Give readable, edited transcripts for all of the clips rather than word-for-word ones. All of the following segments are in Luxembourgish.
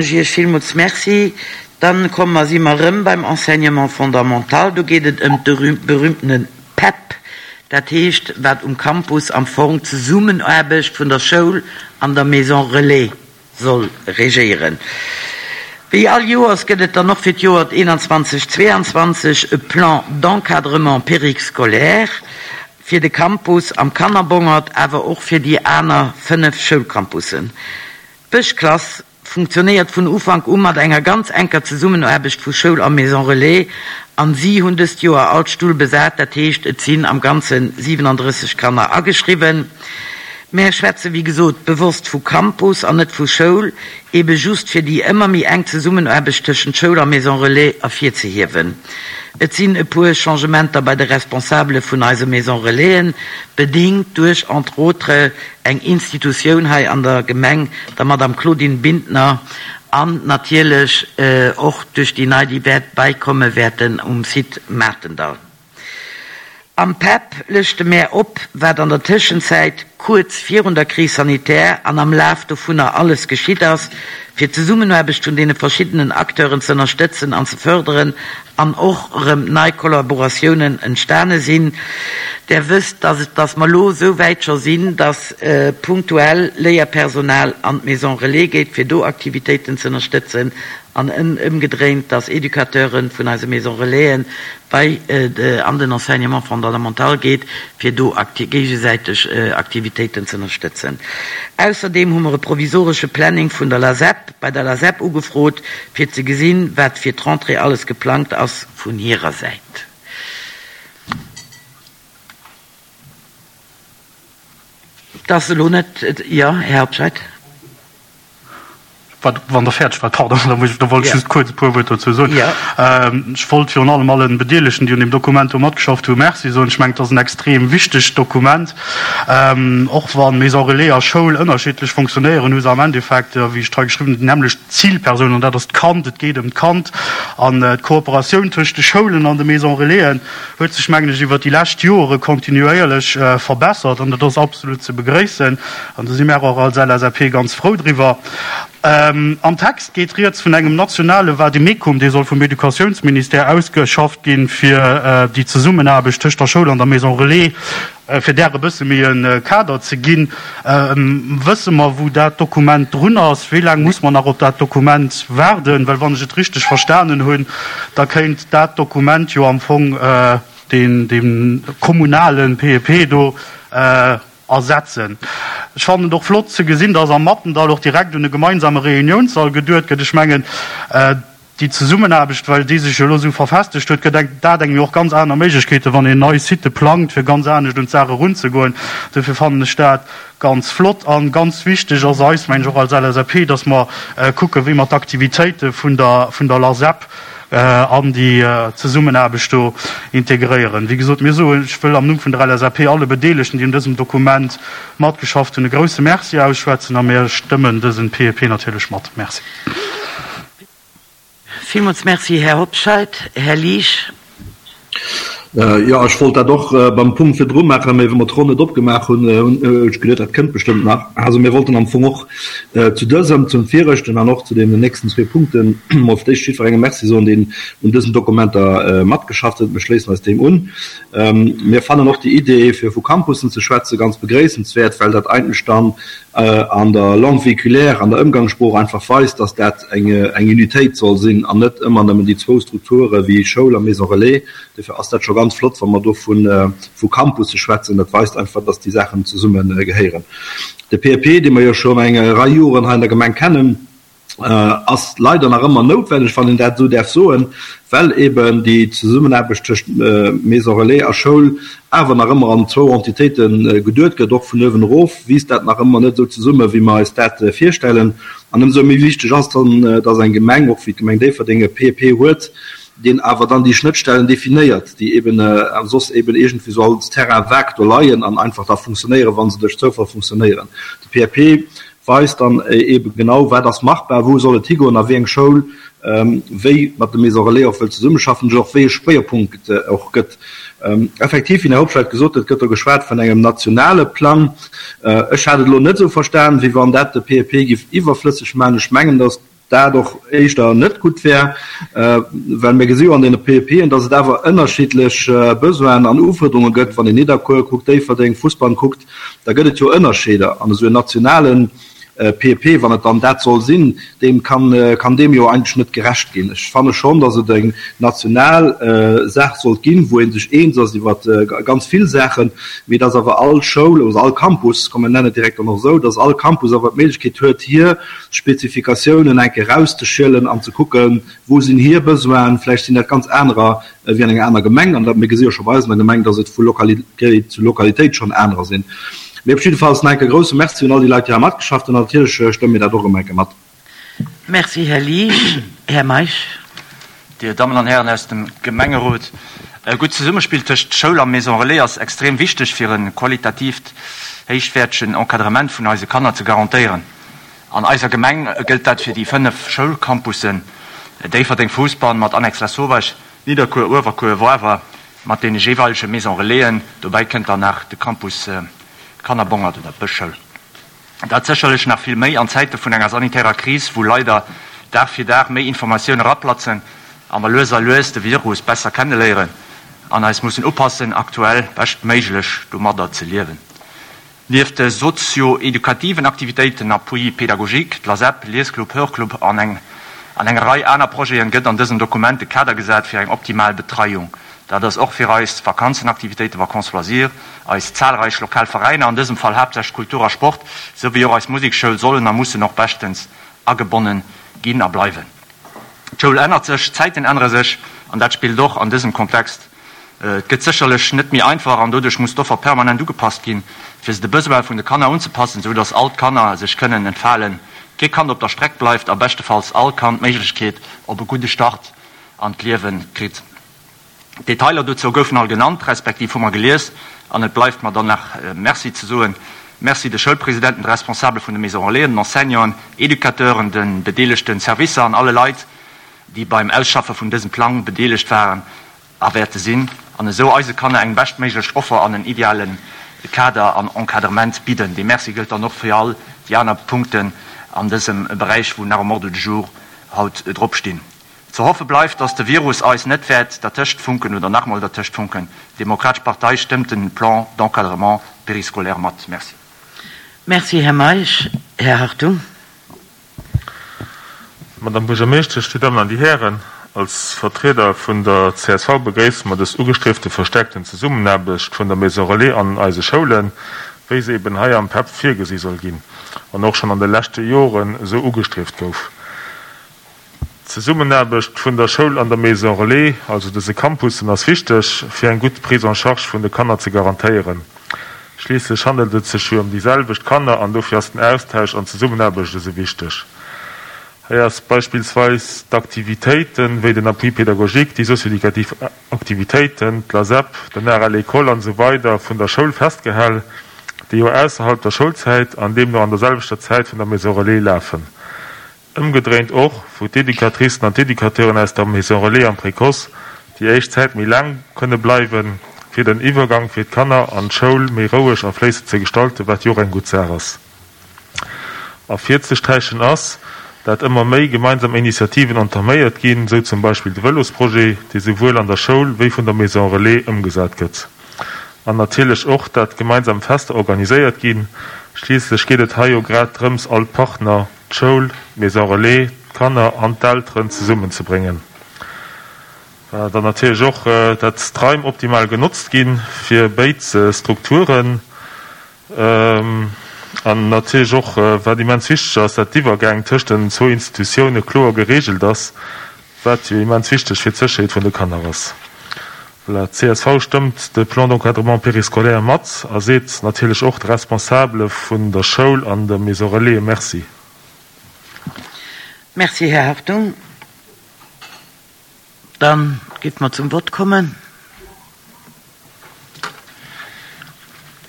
Ech Iech villmools Merci. Dann komme mer, si mer erëm beim Enseignement fondamental. Do geet et ëm de berühmtene PEP, dat heescht, wat um Campus am Fong d'Zesummenaarbecht vun der Schoul an der Maison relais soll regéieren. Wéi all Joers gëtt et dann och fir d'Joer 21, 22 e Plan d'encadrement périscolaire fir de Campus am Kannerbongert, awer och fir déi aner 5 Schoulcampussen. D'Bëschklass funktionéiert vun Ufank u mat enger ganz enker Zesummenaarbecht vu Schoul a Maison Relais an si hunn dëst Joer all Stull besat, dat heescht et sinn am Ganze 37 Kanner ageschriwwen. Mär schwätze wéi gesot bewosst vu Campus an net vu Schoul, ebe just fir déi ëmmer méi enk Zesummenaarbecht tëschent Schoul a Maison Relais ervirzehiewen. Et sinn e puer Changementer bei de Responsabele vun eise Maison Relaisen, bedingt duerch entre autres eng Institutioun hei an der Gemeng, der Madame Claudine Bintner, an natierlech och duerch déi nei, déi wäert bäikomme wäerten um Site Maartendall. Am PEP lëschte mär op, wat an der Tëschenzäit, kuerz virun der Crise sanitaire an am Laf dovunner alles geschitt ass, fir d'Zesummenaarbecht vun deene verschiddenen Acteuren ze ënnerstëtzen an ze fërderen an och erëm nei Kollaboratiounen entstane sinn. Der wësst, dass et, dass mer elo esou wäit scho sinn, dass punktuell Léierpersonal an d'Maison Relais geet, fir do Aktivitéiten ze ënnerstëtzen, an ëmgedréint, dass Educateure vun eise Maison Relaisen bei an den Enseignement fondamental geet, fir do géigesäiteg Aktivitéiten ze ënnerstëtzen. Ausserdeem hu mer e provisoresche Planning vun der LASEP, bei der LASEP ugefrot, fir ze gesinn, wat fir d'Rentrée alles geplangt ass vun hirer Säit. Et ass elo net, jo, Här Hobscheit. Wann Der fäerdeg waart, pardon, da muss ech, da wollt ech just kuerz e puer Wuert dozou soen. Ech wollt virun allem allen Bedeelegten, déi un deem Dokument do matgeschafft hunn, Merci soen. Ech mengen, et ass en extrem wichtegt Dokument. Och wa Maison Relais a Schoul ënnerschiddlech fonctionnéieren, hu se am Endeffekt, wéi ech et hei geschriwwen hunn, déi nämmlecht Zilpersoun, an dat ass d'Kand. Et geet ëm d'Kand. An d'Kooperatioun tëscht de Schoulen an de Maison Relaisen huet sech, mengen ech, iwwert déi lescht Jore kontinuéierlech verbessert, an dat ass absolut ze begréissen. An do si mär och als LSAP ganz frou driwwer. Am Text geet rieds vun engem nationale Vademecum, dee soll vum Educatiounsministère ausgeschafft ginn, fir déi Zesummenaarbecht tëscht der Schoul an der Maison Relais, fir där e bësse méi e Kader ze ginn. Wësse mer, wou dat Dokument drun ass? Wéi laang muss mer nach op dat Dokument waarden? Well wann ech et richteg verstanen hunn, da kéint dat Dokument jo am Fong deen kommunale PEP do ersetzen. Ech fannen et och flott ze gesinn, dass am Mattendall och direkt un e gemeinsame Reuniounssall geduet gëtt. Ech mengen, déi Zesummenaarbecht, well déi sech jo elo esou verfestegt huet, gëtt eng dat engem jo och ganz aner Méiglechkeeten, wann een nei Sitë plangt, fir ganz anescht un d'Saach erunzegoen. Dofir fannen ech dat ganz flott. A ganz wichteg ass eis, mengen ech, och als LSAP, dass mer kucken, wéi mer d'Aktivitéite vun der vun der LASEP an déi Zesummenaarbecht do integréieren. Wéi gesot, mir soen, ech wëll am Numm vun der LSAP alle Bedeelegten, déi un dësem Dokument matgeschafft hunn, e grouse Merci ausschwätzen a mir stëmmen dësen PEP natierlech mat. Merci. Villmools Merci, Här Hobscheit. Här Liesch. Jo, ech wollt dat och beim Punkt virdru maachen, mä wéi mer d'Ronn net opgemaach hunn, hunn ech geduet, dat kënnt bestëmmt nach. Also mir wollten am Fong och zu dësem, zum viregten an och zu deenen nächsten zwee Punkten emol fir d'éischt jiddwerengem Merci soen, deen un dësen Dokumenter matgeschafft huet. Mir schléissen eis deem un. Mir fannen och déi Idee, fir vu Campussen ze schwätzen, ganz begréissenswäert, well dat eigentlech dann an der Langue véhiculaire, an der Ëmgangssprooch einfach weist, dass dat eng Unitéit soll sinn an net ëmmer nëmmen déi zwou Strukture wéi Schoul a Maison Relais. Dofir ass dat scho ganz flott, wa mer do vu Campusse schwätzen. Dat weist einfach, dass déi Saachen zesumme gehéieren. De PEP, dee mer jo schonn eng Rei Joren hei an der Gemeng kennen, ass leider nach ëmmer noutwenneg, wann een dat esou däerf soen, well eben déi Zesummenaarbecht tëscht Maison Relais a Schoul awer nach ëmmer an zwou Entitéite geduet gëtt. Och vun uewen erof wiisst dat nach ëmmer net esou zesumme wéi mer eis dat virstellen. An ëmsou méi wichteg ass dann, dass eng Gemeng, och wéi d'Gemeng Déifferdeng, e PEP huet, deen awer dann déi Schnëttstellen definéiert, déi eben soss eben iergendwéi esou als Terrain vague do leien an einfach da funktionéieren, wa se duerch Zoufall funktionéieren. De PEP weist dann eebe genau, wat ass machbar, wou soll et higoen a wéi eng Schoul wéi mat de Maisons Relais och wëll zesummeschaffen, och wéi e Schwéierpunkt et och gëtt. Effektiv, wéi den Här Hobscheit gesot huet, gëtt do geschwat vun engem nationale Plang. Ech hat et elo net esou verstan, wéi wann dat de PEP géif iwwerflësseg maachen. Ech mengen, datt. dat och éischter net gutt wär, well mir gesi jo an deene PEPen, dass et awer ënnerschiddlech Besoinen an Ufuerderunge gëtt. Wann een Nidderkuer kuckt, Déifferdeng, Fussbann kuckt, da gëtt et jo Ënnerscheeder. An esou en nationale PEP, wann et dann dat soll sinn, deem kann, kann deem jo eigentlech net gerecht ginn. Ech fanne schonn, dass et eng national Saach sollt ginn, wou ee sech eens ass iwwer ganz vill Saachen, mee dass awer all Schoul oder all Campus, komm mir nennen et direkt dann och esou, dass all Campus awer d'Méiglechkeet huet, hir Spezifikatiounen eng Kéier erauszeschielen an ze kucken, wou sinn hir Besoinen. Vläicht sinn dat ganz anerer wéi an enger aner Gemeng. An dat, mir gesi jo scho bei eis an der Gemeng, dass et vu Lokalitéit zu Lokalitéit schonn anerer sinn. Mee op jiddefalls nach eng Kéier grouse Merci un all déi Leit, déi hei matgeschafft hunn. An natierlech stëmme mir dat och erëm eng Kéier mat. Merci, Här Liesch. Här Meisch. Dir Dammen an Hären aus dem Gemengerot, e gutt Zesummespill tëscht Schoul a Maison Relais ass extrem wichteg, fir e qualitatiivt héichwäertegen Encadrement vun eise Kanner ze garantéieren. An eiser Gemeng gëllt dat fir déi 5 Schoulcampussen, Déifferdeng, Fousbann mat Annex Lasauvage, Nidderkuer, Uewerkuer, Woarwer mat deene jeeweilege Maison Relaisen. Dobäi kënnt dann nach de Campus Kannerbongert oder Bëschschoul. Dat sécherlech nach vill méi an Zäite vun enger sanitärer Kris, wou leider Dag fir Dag méi Informatioune raplatzen a mer lues a lues de Virus besser kenneléieren an eis mussen upassen, aktuell beschtméiglech domadder ze liewen. Nieft de sozio-edukativen Aktivitéiten, Appui pédagogique, d'LASEP, Liesclub, Hörclub an eng an enger Rei aner Projeten, gëtt an dësem Dokument de Kader gesat fir eng optimal Betreiung. Dat ass och fir eis Vakanzenaktivitéiten, Vacances loisirs, eis zahlreich lokal Veräiner, an dësem Fall haaptsächlech Kultur a Sport, sou wéi och eis Musekschoul sollen a mussen och beschtens agebonne ginn a bleiwen. D'Schoul ännert sech, d'Zäiten ännere sech an dat spillt och an dësem Kontext Et gëtt sécherlech net méi einfach an doduerch muss d'Offer permanent ugepasst ginn, fir se de Besoine vun de Kanner unzepassen, esou dass all d'Kanner sech kënnen entfalen, kee Kand op der Streck bleift a beschtefalls all Kand d'Méiglechkeet op e gudde Start an d'Liewe kritt. D'Detailer dozou goufen all genannt, respektiv hu mer gelies an et bleift mer dann nach Merci ze soen. Merci de Schoulpresidenten, de Responsabele vun de Maison Relaisen, den Enseignanten, Educateuren, de bedeelegte Servicer an alle Leit, déi beim Ausschaffe vun dësem Plang bedeelegt waren a wäerte sinn, an esou eise Kanner eng beschtméiglech Offer an en ideale Kader an Encadrement bidden. Dee Merci gëllt dann och fir all déi aner Punkten an dësem Beräich, wou nach um Ordre du jour haut drop stinn. Ze hoffe bleift, dass de Virus eis net wäert dertëscht funken oder nach emol dertëscht funken. D'Demokratesch Partei stëmmt den Plan d'encadrement périscolaire mat. Merci. Merci, Här Meisch. Här Hartung. Madame Buergermeeschtesch, Dir Dammen an Dir Hären, als Vertrieder vun der csv begréisse mer dës ugestriefte verstärkten Zesummenaarbecht vun der Maison Relais an eise Schoulen, wéi se eben hei am PEP virgesi soll ginn an och schonn an de leschte Joren esou ugestrieft gouf. D'Zesummenaarbecht vun der Schoul an der Maison Relais, also dëse Campussen, ass wichteg, fir eng gutt Prise en charge vun de Kanner ze garantéieren. Schliisslech handelt et sech jo ëm déi selwecht Kanner an dofir ass den Austausch an d'Zesummenaarbecht esou wichteg. Hei ass beispillsweis d'Aktivitéiten, wéi den Appui pédagogique, déi socio-éducativ Aktivitéiten, d'LASEP, den Art à l'école an esou weider vun der Schoul festgehal, déi jo ausserhalb der Schoulzäit an deemno an der selwechter Zäit vun der Maison Relais lafen. Ëmgedréint och, wou d'Educatricen an d'Educateuren aus der Maison Relais am Précoce déi éischt Zäit méi laang kënne bleiwen, fir den Iwwergang fir d'Kanner an d'Schoul méi roueg a fléissend ze gestalten, wat jo och eng gutt Saach ass. Ervirzesträichen ass, dat ëmmer méi gemeinsam Initiativen entaméiert ginn, sou zum Beispill de Vëlosprojet, dee souwuel an der Schoul wéi vun der Maison Relais ëmgesat gëtt. An natierlech och, dat gemeinsam Fester organiséiert ginn, schliisslech geet et hei jo grad drëms, all d'Partner, d'Schoul, d'Maison Relais, d'Kanner an d'Elteren zesummenzebréngen. Dann natierlech och, dat d'Raim optimal genotzt gi fir béid Strukturen. An natierlech och, wat immens wichteg ass, dat d'Iwwergäng tëscht den zwou Institutioune kloer gereegelt ass, wat jo immens wichteg fir d'Sécherheet vun de Kanner ass. Voilà, d'CSV stëmmt de Plan d'encadrement périscolaire mat a seet natierlech och de Responsabele vun der Schoul an der Maison Relais Merci. Merci, Här Hartung. Da géife mer zum Vott kommen.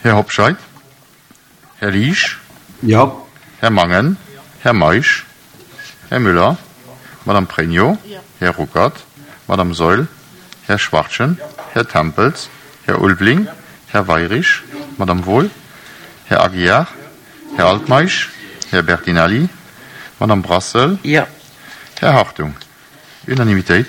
Här Hobscheit. Här Liesch. Jo. Här Mangen. Här Meisch. Här Müller. Madame Pregno. Här Ruckert. Madame Saeul. Här Schwachtgen. Här Tempels. Här Ulveling. Här Weirich. Madame Wohl. Här Aguiar. Här Altmeisch. Här Bertinelli. Madame Brassel. Jo. Här Hartung. Unanimitéit.